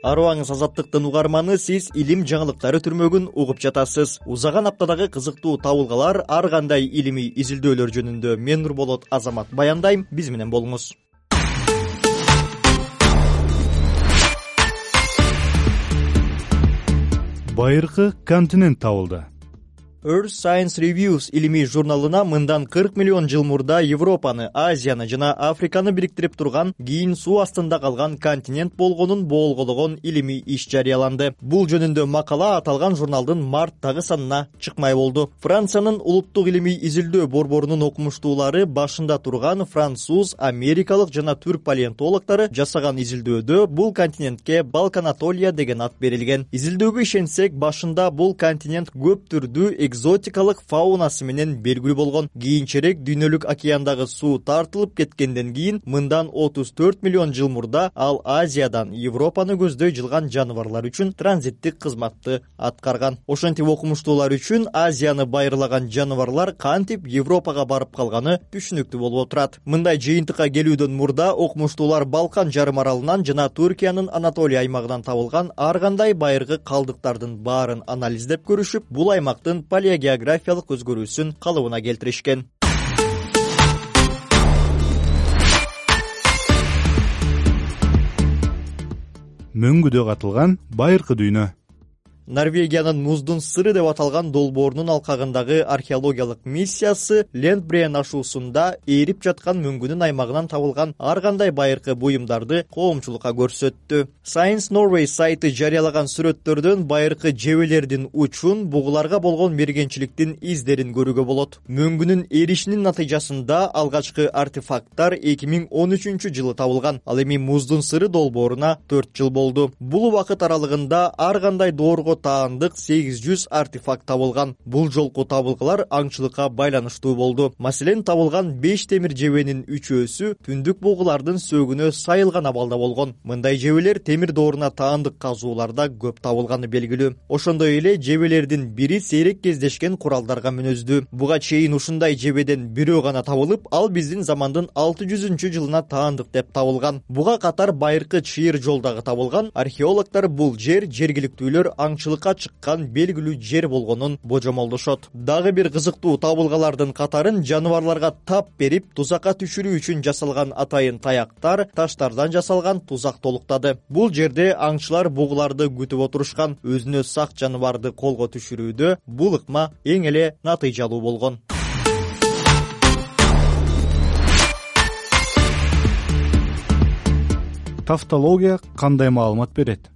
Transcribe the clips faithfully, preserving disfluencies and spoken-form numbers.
Арыбаңыз Азаттыктын угарманы, сиз илим жаңылыктары түрмөгүн угуп жатасыз. Узаган аптадагы кызыктуу табылгалар, ар кандай илимий изилдөөлөр жөнүндө мен Нурболот Азамат баяндайм, биз менен болуңуз. Байыркы континент табылды. Earth Science Reviews илимий журналына мындан кырк миллион жыл мурда Европаны, Азияны жана Африканы бириктирип турган, кийин суу астында калган континент болгонун боолгологон илимий иш жарыяланды. Бул жөнүндө макала аталган журналдын марттагы санына чыкмай болду. Франциянын улуттук илимий изилдөө борборунун окумуштуулары башында турган француз, америкалык жана түрк палеонтологдору жасаган изилдөөдө бул континентке Балканатолия деген ат берилген. Изилдөөгө ишенсек, башында бул континент көп түрдүү экзотикалык фаунасы менен белгилүү болгон. Кийинчерээк дүйнөлүк океандагы суу тартылып кеткенден кийин мындан отуз төрт миллион жыл мурда ал Азиядан Европаны көздөй жылган жаныбарлар үчүн транзиттик кызматты аткарган. Ошентип окумуштуулар үчүн Азияны байырлаган жаныбарлар кантип Европага барып калганы түшүнүктүү болуп отурат. Мындай жыйынтыкка келүүдөн мурда окумуштуулар Балкан жарым аралынан жана Түркиянын Анатолия аймагынан табылган ар кандай байыркы калдыктардын баарын анализдеп көрүшүп, бул аймактын палеогеографиялык өзгөрүүсүн калыбына келтиришкен. Мөңгүдө катылган байыркы дүйнө. Норвегиянын Муздун сыры деп аталган долбоорунун алкагындагы археологиялык миссиясы Лендбрен ашуусунда ээрип жаткан мөңгүнүн аймагынан табылган ар кандай байыркы буюмдарды коомчулукка көрсөттү. Science Norway сайты жарыялаган сүрөттөрдөн байыркы жебелердин учун, бугуларга болгон мергенчиликтин издерин көрүүгө болот. Мөңгүнүн эришинин натыйжасында алгачкы артефакттар эки миң он үчүнчү жылы табылган. Ал эми Муздун сыры долбооруна төрт жыл болду. Бул убакыт аралыгында ар кандай доорго таандык сегиз жүз артефакт табылган. Бул жолку табылгалар аңчылыкка байланыштуу болду. Маселен, табылган беш темир жебенин үчөөсү түндүк бугулардын сөөгүнө сайылган абалда болгон. Мындай жебелер темир дооруна таандык казууларда көп табылганы белгилүү. Ошондой эле жебелердин бири сейрек кездешкен куралдарга мүнөздүү. Буга чейин ушундай жебеден бирөө гана табылып, ал биздин замандын алты жүзүнчү жылына таандык деп табылган. Буга катар байыркы чыйыр жол дагы табылган. Археологдор бул жер жергиликтүүлөр аңчылыкка чыккан белгилүү жер болгонун божомолдошот. Дагы бир кызыктуу табылгалардын катарын жаныбарларга тап берип, тузакка түшүрүү үчүн жасалган атайын таяктар, таштардан жасалган тузак толуктады. Бул жерде аңчылар бугуларды күтүп отурушкан. Өзүнө сак жаныбарды колго түшүрүүдө бул ыкма эң эле натыйжалуу болгон. Тавтология кандай маалымат берет?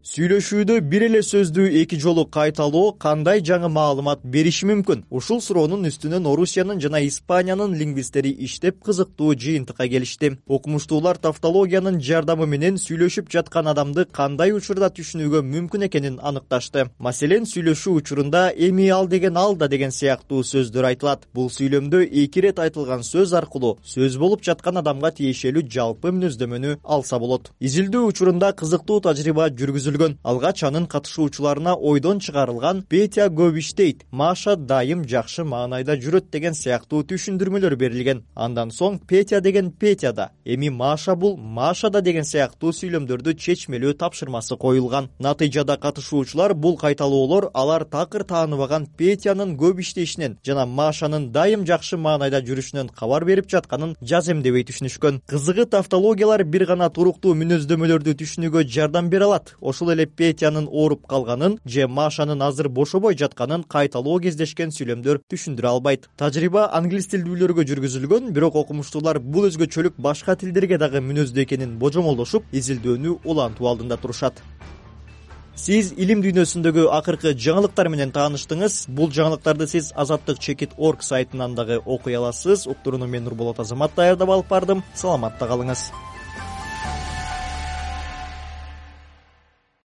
Сүйлөшүүдө бир эле сөздү эки жолу кайталоо кандай жаңы маалымат бериши мүмкүн? Ушул суроонун үстүнөн Орусиянын жана Испаниянын лингвисттери иштеп кызыктуу жыйынтыкка келишти. Окумуштуулар тавтологиянын жардамы менен сүйлөшүп жаткан адамды кандай учурда түшүнүүгө мүмкүн экенин аныкташты. Маселен, сүйлөшүү учурунда эми ал деген алда деген сыяктуу сөздөр айтылат. Бул сүйлөмдө эки ирет айтылган сөз аркылуу сөз болуп жаткан адамга тиешелүү жалпы мүнөздөмөнү алса болот. Изилдөө учурунда кызыктуу тажрыйба жүргүзүлгөн. Алгач анын катышуучуларына ойдон чыгарылган Петя Говиштейт, Маша дайым жакшы маанайда жүрөт деген сыяктуу түшүндүрмөлөр берилген. Андан соң Петя деген Петяда, эми Маша бул Машада деген сыяктуу сүйлөмдөрдү чечмелөө тапшырмасы коюлган. Натыйжада катышуучулар бул кайталоолор алар такыр тааныбаган Петянын көп иштешинен жана Машанын дайым жакшы маанайда жүрүшүнөн кабар берип жатканын жаземдебей түшүнүшкөн. Кызыгы, тавтологиялар бир гана туруктуу мүнөздөмөлөрдү түшүнүүгө жардам бере алат. Ошол эле Петянын ооруп калганын же Машанын азыр бошобой жатканын кайталоо кездешкен сүйлөмдөр түшүндүрө албайт. Тажрыйба англис тилдүүлөргө жүргүзүлгөн, бирок окумуштуулар бул өзгөчөлүк башка тилдерге дагы мүнөздүү экенин божомолдошуп, изилдөөнү улантуу алдында турушат. Сиз илим дүйнөсүндөгү акыркы жаңылыктар менен тааныштыңыз. Бул жаңылыктарды сиз азаттык чекит точка орг сайтынан дагы окуй аласыз. Уктурууну мен Нурболот Азамат даярдап алып бардым. Саламатта калыңыз.